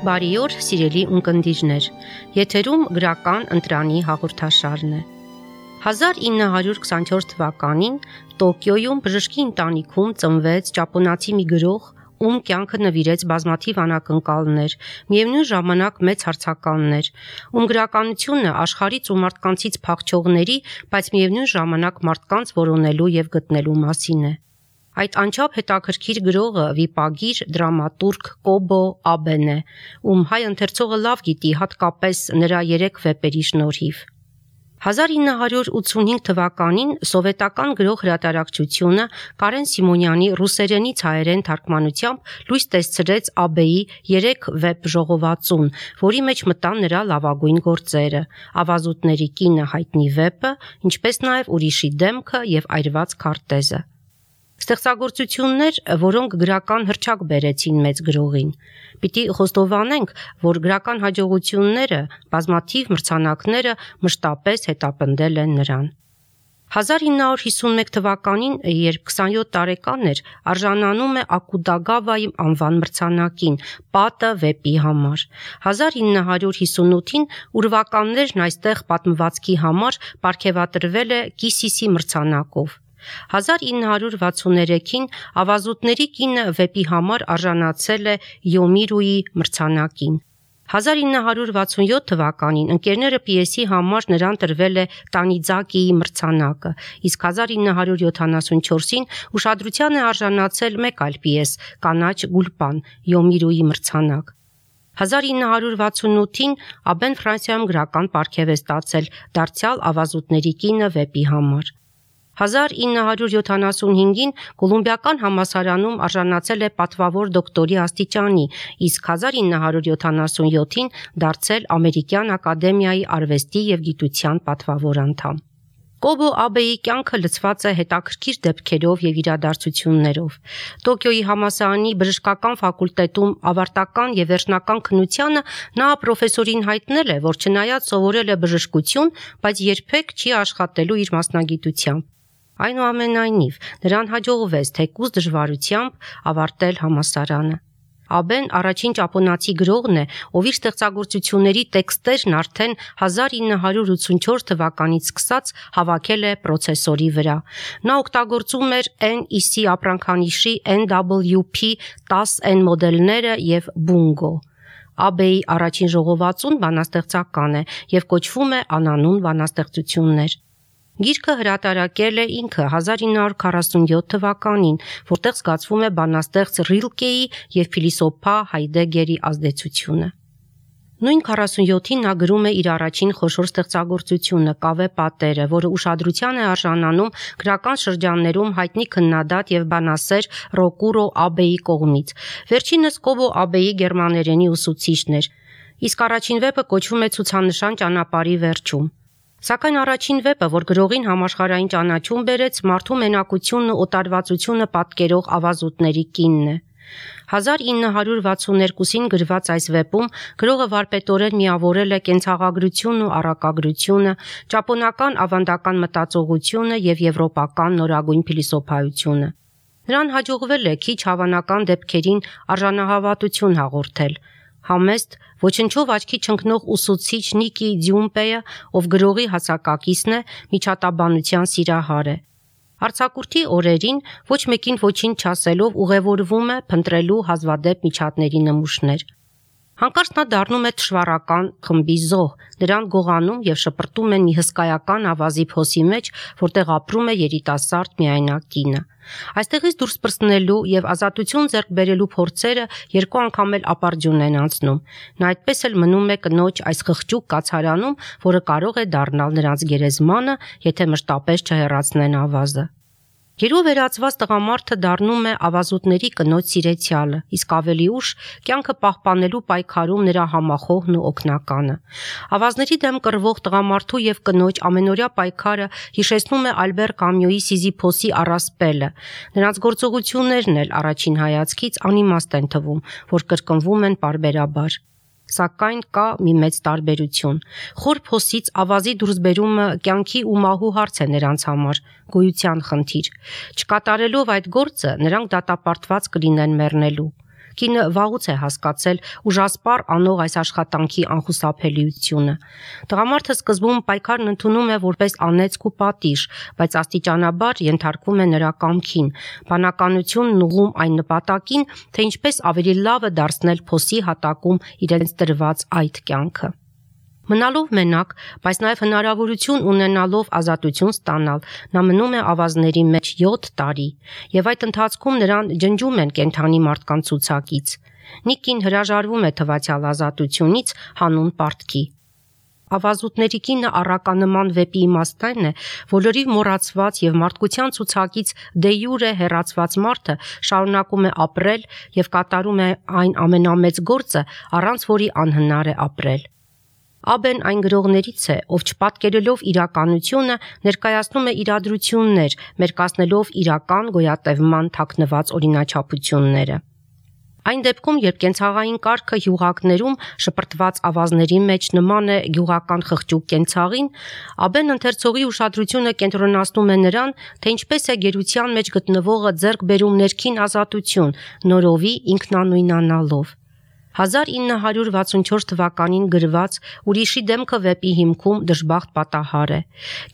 Բարի օր, սիրելի ունկնդիրներ, եթերում գրական ընտրանի հաղորդաշարն է։ 1924 թվականին Տոկիոյում բժշկի ընտանիքում ծնվեց ճապոնացի մի գրող, ում կյանքը նվիրեց բազմաթիվ անակնկալներ, միևնույն ժամանակ մեծ հարցականներ, ում գրականությունը աշխարհից ու մարդկանցից փախչողների, բայց միևնույն ժամանակ մարդկանց որոնելու եւ գտնելու մասին է։ Այդ անչափ հետաքրքիր գրողը վիպագիր, դրամատուրգ Կոբո Աբեն է, ում հայ ընթերցողը լավ գիտի հատկապես նրա 3 վեպերի շնորհիվ։ 1985 թվականին սովետական գրող հրատարակչությունը Կարեն Սիմոնյանի ռուսերենից հայերեն թարգմանությամբ լույս տեսցրեց Աբեի 3 վեպ ժողովածուն, որի մեջ մտան նրա լավագույն գործերը՝ Ավազուտների կինը հայտնի վեպը, ինչպես նաև Ուրիշի դեմքը եւ Այրված քարտեզը։ Ստեղծագործություններ, որոնք գրական հռչակ բերեցին մեծ գրողին։ Պիտի խոստովանենք, որ գրական հաջողությունները, բազմաթիվ մրցանակները մշտապես հետապնդել են նրան։ 1951 թվականին, երբ 27 տարեկան էր, արժանանում է Ակուտագավայի անվան մրցանակին պատը վեպի համար։ 1958-ին ուրվականներն այստեղ պատմվածքի համար պարգևատրվել է Կիսիսի մրցանակով։ 1963-ին Ավազուտների կինը վեպի համար արժանացել է Յոմիրուի մրցանակին։ 1967 թվականին ընկերները պիեսի համար նրան տրվել է Տանիձակիի մրցանակը, իսկ 1974-ին ուշադրության է արժանացել մեկ այլ պիես՝ Կանաչ Գուլպան, Յոմիրուի մրցանակ։ 1968-ին Աբեն Ֆրանսիայում գրական պարգև է ստացել դարձյալ Ավազուտների կինը վեպի համար։ 1975-ին Կոլումբիական համալսարանում արժանացել է պատվավոր դոկտորի աստիճանի, իսկ 1977-ին դարձել Ամերիկյան ակադեմիայի արվեստի եւ գիտության պատվավոր անդամ։ Կոբո Աբեի կյանքը լցված է հետաքրքիր դեպքերով եւ իրադարձություններով։ Տոկիոյի համալսարանի բժշկական ֆակուլտետում ավարտական եւ վերջնական քննությանը նա պրոֆեսորին հայտնել է, որ չնայած սովորել է բժշկություն, բայց երբեք չի աշխատելու իր մասնագիտությամբ։ Այնուամենայնիվ, նրան հաջողվեց թեկուզ դժվարությամբ ավարտել համալսարանը։ Աբեն առաջին ճապոնացի գրողն է, ով իր ստեղծագործությունների տեքստերն արդեն 1984 թվականից սկսած հավաքել է պրոցեսորի վրա։ Նա օգտագործում էր NEC ապրանքանիշի NWP 10N մոդելները եւ Bungo։ Աբեի առաջին ժողովածուն բանաստեղծական է եւ կոչվում է Անանուն բանաստեղծություններ։ Գիրքը հրատարակել է ինքը 1947 թվականին, որտեղ զգացվում է բանաստեղծ Ռիլկեի եւ փիլիսոփա Հայդեգերի ազդեցությունը։ Նույն 47-ին նա գրում է իր առաջին խոշոր ստեղծագործությունը Կավե պատերը, որը ուշադրության է արժանանում գրական շրջաններում հայտնի քննադատ եւ բանասեր Ռոկուրո Աբեի կողմից։ Վերջինս Կոբո Աբեի գերմաներենի ուսուցիչն էր, իսկ առաջին վեպը կոչվում է Ցուցանշան ճանապարհի վերջում։ Սակայն առաջին վեպը, որ գրողին համաշխարհային ճանաչում բերեց, մարդու մենակությունն ու օտարվածությունը պատկերող Ավազուտների կինն է։ 1962-ին գրված այս վեպում գրողը վարպետորեն միավորել է կենցաղագրությունն ու առակագրությունը, ճապոնական ավանդական մտածողությունը եւ եվրոպական նորագույն փիլիսոփայությունը։ Նրան հաջողվել է քիչ հավանական դեպքերին արժանահավատություն հաղորդել։ Համեստ, ոչնչով աչքի չընկնող ուսուցիչ Նիկի Ձյումպեը, ով գրողի հասակակիցն է, միջատաբանության սիրահար է։ Արձակուրդի օրերին ոչ մեկին ոչինչ չասելով ուղևորվում է փնտրելու հազվադեպ միջատների նմուշներ։ Հանկարծ նա դառնում է թշվառական խմբի զոհ, նրան գողանում եւ շպրտում են մի հսկայական ավազի փոսի մեջ, որտեղ ապրում է երիտասարդ միայնակ կինը։ Այստեղից դուրս պրծնելու եւ ազատություն ձեռք բերելու փորձերը 2 անգամ էլ ապարդյուն են անցնում։ Նա այդպես էլ մնում է կնոջ այս խղճուկ կացարանում, որը կարող է դառնալ նրանց գերեզմանը, եթե մշտապես չհեռացնեն ավազը։ Գերու վերածված տղամարդը դառնում է Ավազուտների կնոջ սիրեցյալը, իսկ ավելի ուշ կյանքը պահպանելու պայքարում նրա համախոհն ու օգնականը։ Ավազների դեմ կռվող տղամարդու եւ կնոջ ամենօրյա պայքարը հիշեցնում է Ալբեր Կամյուի Սիզիփոսի առասպելը։ Նրանց գործողություններն էլ առաջին հայացքից անիմաստ են թվում, որ կրկնվում են պարբերաբար։ Սակայն կա մի մեծ տարբերություն։ Խոր փոսից ավազի դուրսբերումը կյանքի ու մահու հարց է նրանց համար, գոյության խնդիր։ Չկատարելով այդ գործը նրանք դատապարտված կլինեն մեռնելու։ Կինը վաղուց է հասկացել ուժասպառ անող այս աշխատանքի անխուսափելիությունը։ Տղամարդը սկզբում պայքարն ընդունում է որպես անեծք ու պատիժ, բայց աստիճանաբար ենթարկվում է նրա կամքին։ Բանականությունն ուղղում այն նպատակին, թե ինչպես ավելի լավը դարձնել փոսի հատակում իրենց տրված այդ կյանքը։ Մնալով մենակ, բայց նաև հնարավորություն ունենալով ազատություն ստանալ, նա մնում է ավազների մեջ 7 տարի, եւ այդ ընթացքում նրան ջնջում են կենդանի մարդկանց ցուցակից։ Նիկին հրաժարվում է թվացյալ ազատությունից հանուն պարտքի։ Ավազուտների կինը առականման վեպի իմաստն այն է, որ լրիվ մոռացված եւ մարդկության ցուցակից դե յուրե հեռացված մարդը շարունակում է ապրել եւ կատարում է այն ամենամեծ գործը, առանց որի անհնար է ապրել։ Աբեն այն գրողներից է, ով չպատկերելով իրականությունը ներկայացնում է իրադրություններ, մերկացնելով իրական գոյատևման թաքնված օրինաչափությունները։ Այն դեպքում, երբ կենցաղային կարգը յուղակներում շպրտված ավազների մեջ նման է գյուղական խղճուկ կենցաղին, Աբեն ընթերցողի ուշադրությունը կենտրոնացնում է նրան, թե ինչպես է գերության մեջ գտնվողը ձեռք բերում ներքին ազատություն, նորովի ինքնանույնանալով։ 1964 թվականին գրված «Ուրիշի դեմքը» վեպի հիմքում դժբախտ պատահար է։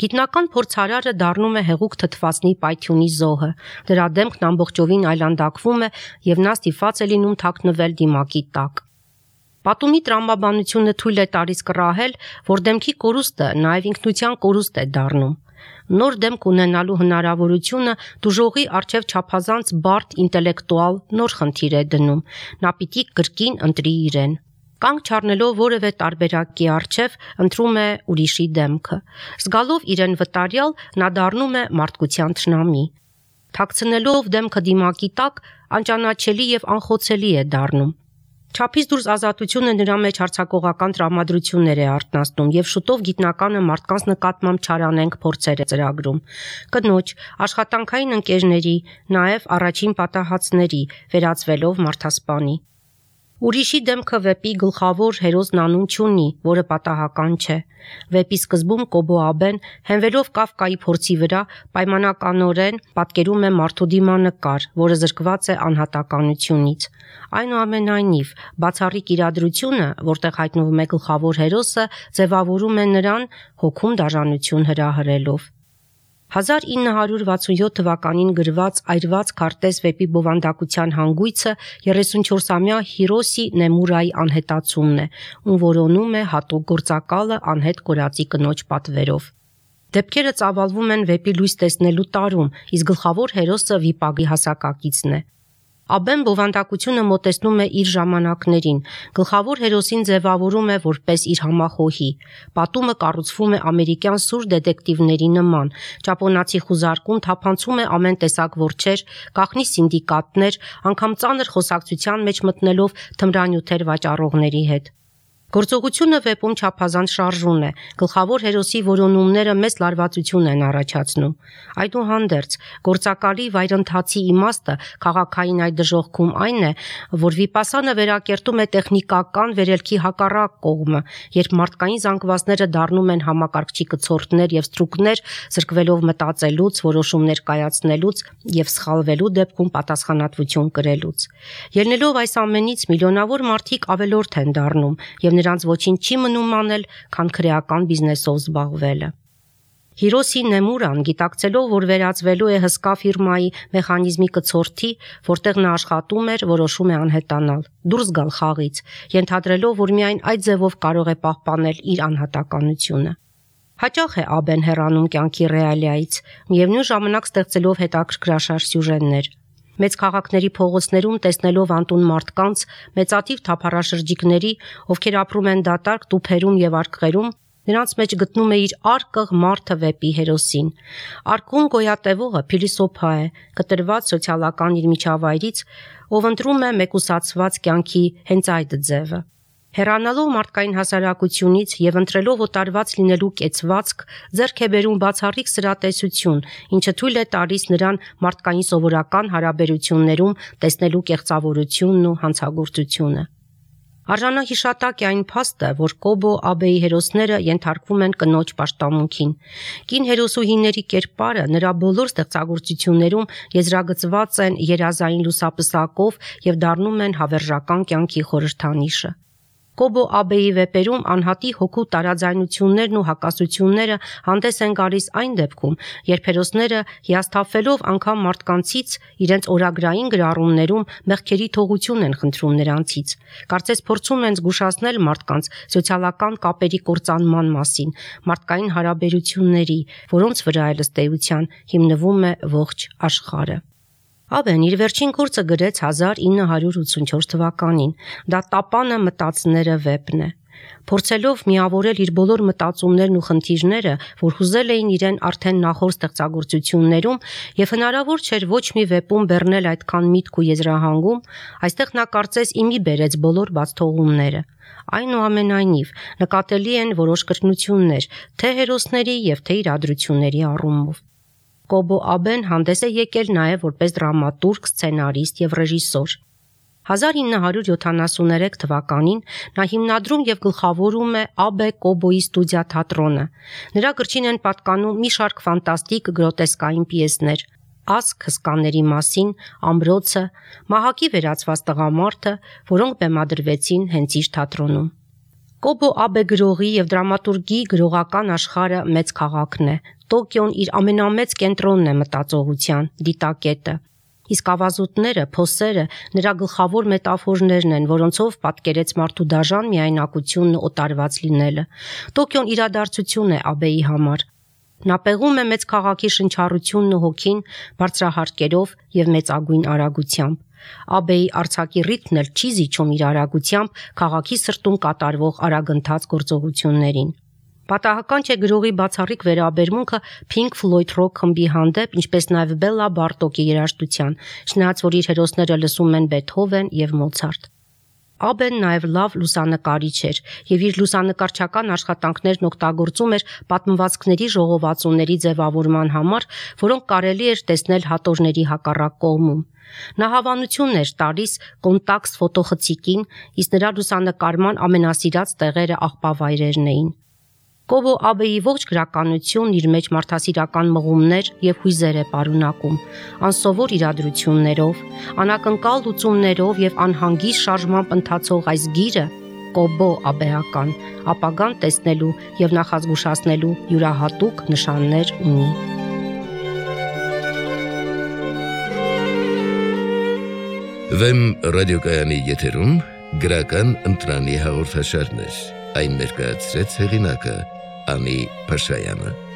Գիտնական փորձարարը դառնում է հեղուկ թթվածնի պայթյունի զոհը, դրա դեմքն ամբողջովին այլանդակվում է եւ նա ստիպված է լինում թաքնվել դիմակի տակ։ Պատումի տրամաբանությունը թույլ է տալիս կռահել, որ դեմքի կորուստը նաև ինքնության կորուստ է դառնում։ Նոր դեմք ունենալու հնարավորությունը դուժողի առջև չափազանց բարդ ինտելեկտուալ նոր խնդիր է դնում, նա պիտի կրկին ընտրի իրեն։ Կանգ չառնելով որևէ տարբերակի առջև ընտրում է ուրիշի դեմքը։ Զգալով իրեն վտարյալ, նա դառնում է մարդկության թշնամի։ Թաքցնելով դեմքը դիմակի տակ, անճանաչելի եւ անխոցելի է դառնում։ Չափից դուրս ազատությունը նրա մեջ հարձակողական տրամադրություններ է արթնացնում եւ շուտով գիտնականը մարդկանց նկատմամբ չարանենք փորձեր է ծրագրում։ Կնոջ, աշխատանքային ընկերների, նաեւ առաջին պատահածների, վերածվելով մարդասպանի։ Ուրիշի դեմքը վեպի գլխավոր հերոսն անուն չունի, որը պատահական չէ։ Վեպի սկզբում Կոբո Աբեն, հենվելով Կաֆկայի փորձի վրա, պայմանականորեն պատկերում է մարդու դիմանկար, որը զրկված է անհատականությունից։ Այնուամենայնիվ, բացառիկ իրադրությունը, որտեղ հայտնվում է գլխավոր հերոսը, ձևավորում է նրան հոգում դաժանություն հրահրելով։ 1967 թվականին գրված «Այրված քարտեզ» վեպի բովանդակության հանգույցը 34-ամյա Հիրոսի Նեմուրայի անհետացումն է, ում որոնում է հատուկ գործակալը անհետ կորածի կնոջ պատվերով։ Դեպքերը ծավալվում են վեպի լույս տեսնելու տարում, իսկ գլխավոր հերոսը վիպակի հասակակիցն է։ Աբեն բովանդակությունը մոտեցնում է իր ժամանակներին, գլխավոր հերոսին ձևավորում է որպես իր համախոհի։ Պատումը կառուցվում է ամերիկյան սուր դետեկտիվների նման, ճապոնացի խուզարկում թափանցում է ամեն տեսակ որջեր, գաղտնի սինդիկատներ, անգամ ծանր խոսակցության մեջ մտնելով թմրանյութեր վաճառողների հետ։ Գործողությունը վեպում չափազանց շարժուն է, գլխավոր հերոսի որոնումները մեծ լարվածություն են առաջացնում։ Այդուհանդերձ, գործակալի վայրընթացի իմաստը քաղաքային այդ դժոխքում այն է, որ վիպասանը վերակերտում է տեխնիկական վերելքի հակառակ կողմը, երբ մարդկային զանգվածները դառնում են համակարգչի կցորդներ եւ ստրուկներ, զրկվելով մտածելուց, որոշումներ կայացնելուց եւ սխալվելու դեպքում պատասխանատվություն կրելուց։ Ելնելով այս ամենից միլիոնավոր մարդիկ ավելորդ են դառնում եւ նրանց ոչինչ չի մնում անել, քան քրեական բիզնեսով զբաղվելը։ Հիրոսի Նեմուրան, գիտակցելով, որ վերածվելու է հսկա ֆիրմայի մեխանիզմի կցորդի, որտեղ նա աշխատում էր, որոշում է անհետանալ, դուրս գալ խաղից, ենթադրելով, որ միայն այդ ձևով կարող է պահպանել իր անհատականությունը։ Հաճախ է Աբեն հեռանում կյանքի ռեալիայից, միևնույն ժամանակ ստեղծելով հետաքրքրաշարժ սյուժեներ։ Մեծ քաղաքների փողոցներում տեսնելով անտուն մարդկանց, մեծաթիվ թափառաշրջիկների, ովքեր ապրում են դատարկ տուփերում եւ արկղերում, նրանց մեջ գտնում է իր արկղ մարդը վեպի հերոսին։ Արկղում գոյատևողը փիլիսոփա է, կտրված սոցիալական իր միջավայրից, ով ընտրում է մեկուսացված կյանքի հենց այդ ձևը։ Հեռանալով մարդկային հասարակությունից եւ ընտրելով օտարված լինելու կեցվածք, ձեռք է բերում բացառիկ սրատեսություն, ինչը թույլ է տալիս նրան մարդկային սովորական հարաբերություններում տեսնելու կեղծավորությունն ու հանցագործությունը։ Արժանահիշատակ է այն փաստը, որ Կոբո Աբեի հերոսները ենթարկվում են կնոջ պաշտամունքին։ Կին հերոսուհիների կերպարը նրա բոլոր ստեղծագործություններում եզրագծված են երազային լուսապսակով եւ դառնում են հավերժական կյանքի խորհրդանիշը։ Կոբո Աբեի վեպերում անհատի հոգու տարաձայնություններն ու հակասությունները հանդես են գալիս այն դեպքում, երբ հերոսները հիասթափվելով անգամ մարդկանցից իրենց օրագրային գրառումներում մեղքերի թողություն են խնդրում նրանցից։ Կարծես փորձում են զգուշացնել մարդկանց սոցիալական կապերի կործանման մասին, մարդկային հարաբերությունների, որոնց վրա ըստ էության հիմնվում է ողջ աշխարհը։ Աբեն իր վերջին գործը գրեց 1984 թվականին, դա տապանը մտածները վեպն է։ Փորձելով միավորել իր բոլոր մտածումներն ու խնդիրները, որ հուզել էին իրեն արդեն նախորդ ստեղծագործություններում եւ հնարավոր չէր ոչ մի վեպում բեռնել այդքան միտք ու եզրահանգում, այստեղ նա կարծես իմի բերեց բոլոր բացթողումները։ Այնուամենայնիվ, նկատելի են որոշ կրկնություններ, թե հերոսների եւ թե իրադրությունների առումով։ Կոբո Աբեն հանդես է եկել նաև որպես դրամատուրգ, սցենարիստ եւ ռեժիսոր։ 1973 թվականին նա հիմնադրում եւ գլխավորում է Աբե Կոբոյի ստուդիա թատրոնը։ Նրա գրչին են պատկանում մի շարք ֆանտաստիկ գրոտեսկային պիեսներ՝ Ասք հսկաների մասին, Ամրոցը, Մահակի վերածված տղամարդը, որոնք բեմադրվեցին հենց իր թատրոնում։ Կոբո Աբե գրողի եւ դրամատուրգի գրողական աշխարհը մեծ քաղաքն է։ Տոկիոն իր ամենամեծ կենտրոնն է մտածողության, դիտակետը։ Իսկ ավազուտները, փոսերը նրա գլխավոր մետաֆորներն են, որոնցով պատկերեց մարդու դաժան միայնակությունն ու օտարված լինելը։ Տոկիոն իրադարձություն է Աբեի համար։ Նա պեղում է մեծ քաղաքի շնչառությունն ու հոգին բարձրահարկերով եւ մեծագույն արագությամբ։ Աբեի արձակի ռիթմն էլ չի զիջում իր արագությամբ քաղաքի սրտում կատարվող արագընթաց գործողություններին։ Պատահական չէ գրողի բացառիկ վերաբերմունքը Pink Floyd Rock խմբի հանդեպ, ինչպես նաև Բելլա Բարտոկի երաժշտության, չնայած որ իր հերոսները լսում են Բեթհովեն եւ Մոցարտ։ Աբեն նաև լավ լուսանկարիչ էր եւ իր լուսանկարչական աշխատանքներն օգտագործում էր պատմվածքների ժողովածուների ձևավորման համար, որոնք կարելի էր տեսնել հատորների հակառակ կողմում։ Նա հավանություն էր տալիս կոնտակստ ֆոտոխցիկին, իսկ նրա լուսանկարման ամենասիրած տեղերը աղբավայրերն էին։ Կոբո Աբեի ողջ գրականությունն իր մեջ մարդասիրական մղումներ եւ հույզեր է պարունակում, անսովոր իրադրություններով, անակնկալ լուծումներով եւ անհանգիստ շարժմամբ ընթացող այս գիրը Կոբո Աբեական ապագան տեսնելու եւ նախազգուշացնելու յուրահատուկ նշաններ ունի։ Վեմ ռադիոկայանի եթերում գրական ընտրանի հաղորդաշարներ, այն ներկայացրեց հեղինակը Անի Փաշայանը։